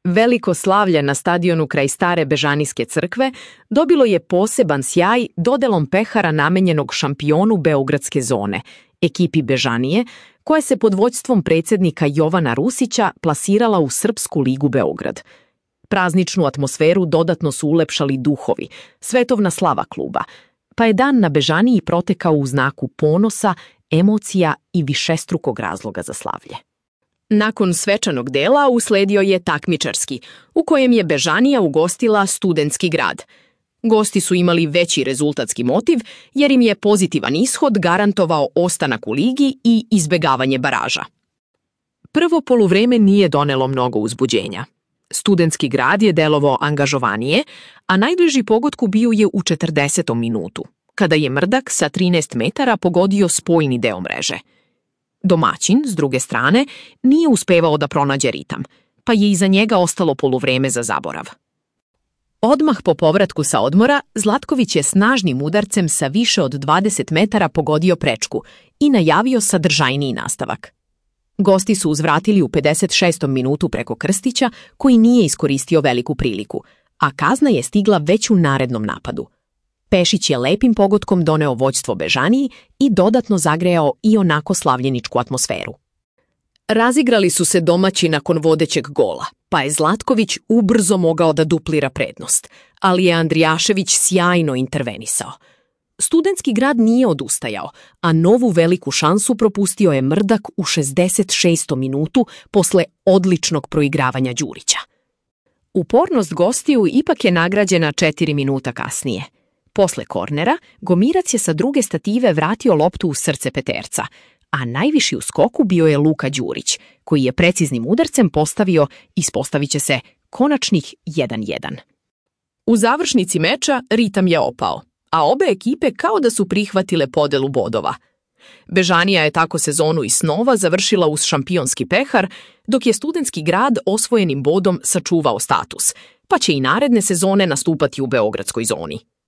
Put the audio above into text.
Veliko slavlje na stadionu kraj stare Bežanijske crkve dobilo je poseban sjaj dodelom pehara namenjenog šampionu beogradske zone, ekipi Bežanije, koja se pod vođstvom predsjednika Jovana Rusića plasirala u Srpsku ligu Beograd. Prazničnu atmosferu dodatno su ulepšali duhovi, svetovna slava kluba, pa je dan na Bežaniji protekao u znaku ponosa, emocija i višestrukog razloga za slavlje. Nakon svečanog dela usledio je takmičarski, u kojem je Bežanija ugostila Studentski grad. Gosti su imali veći rezultatski motiv jer im je pozitivan ishod garantovao ostanak u ligi i izbegavanje baraža. Prvo poluvreme nije donelo mnogo uzbuđenja. Studentski grad je delovao angažovanije, a najbliži pogodku bio je u 40. minutu, kada je Mrdak sa 13 metara pogodio spojni deo mreže. Domaćin, s druge strane, nije uspevao da pronađe ritam, pa je iza njega ostalo poluvreme za zaborav. Odmah po povratku sa odmora, Zlatković je snažnim udarcem sa više od 20 metara pogodio prečku i najavio sadržajniji nastavak. Gosti su uzvratili u 56. minutu preko Krstića, koji nije iskoristio veliku priliku, a kazna je stigla već u narednom napadu. Pešić je lepim pogodkom doneo vođstvo Bežaniji i dodatno zagrejao i onako slavljeničku atmosferu. Razigrali su se domaći nakon vodećeg gola, pa je Zlatković ubrzo mogao da duplira prednost, ali je Andrijašević sjajno intervenisao. Studentski grad nije odustajao, a novu veliku šansu propustio je Mrdak u 66. minutu posle odličnog proigravanja Đurića. Upornost gostiju ipak je nagrađena 4 minuta kasnije. Posle kornera, Gomirac je sa druge stative vratio loptu u srce peterca, a najviši u skoku bio je Luka Đurić, koji je preciznim udarcem postavio, ispostavit će se, konačnih 1:1. U završnici meča ritam je opao, a obe ekipe kao da su prihvatile podelu bodova. Bežanija je tako sezonu iz snova završila uz šampionski pehar, dok je Studentski grad osvojenim bodom sačuvao status, pa će i naredne sezone nastupati u beogradskoj zoni.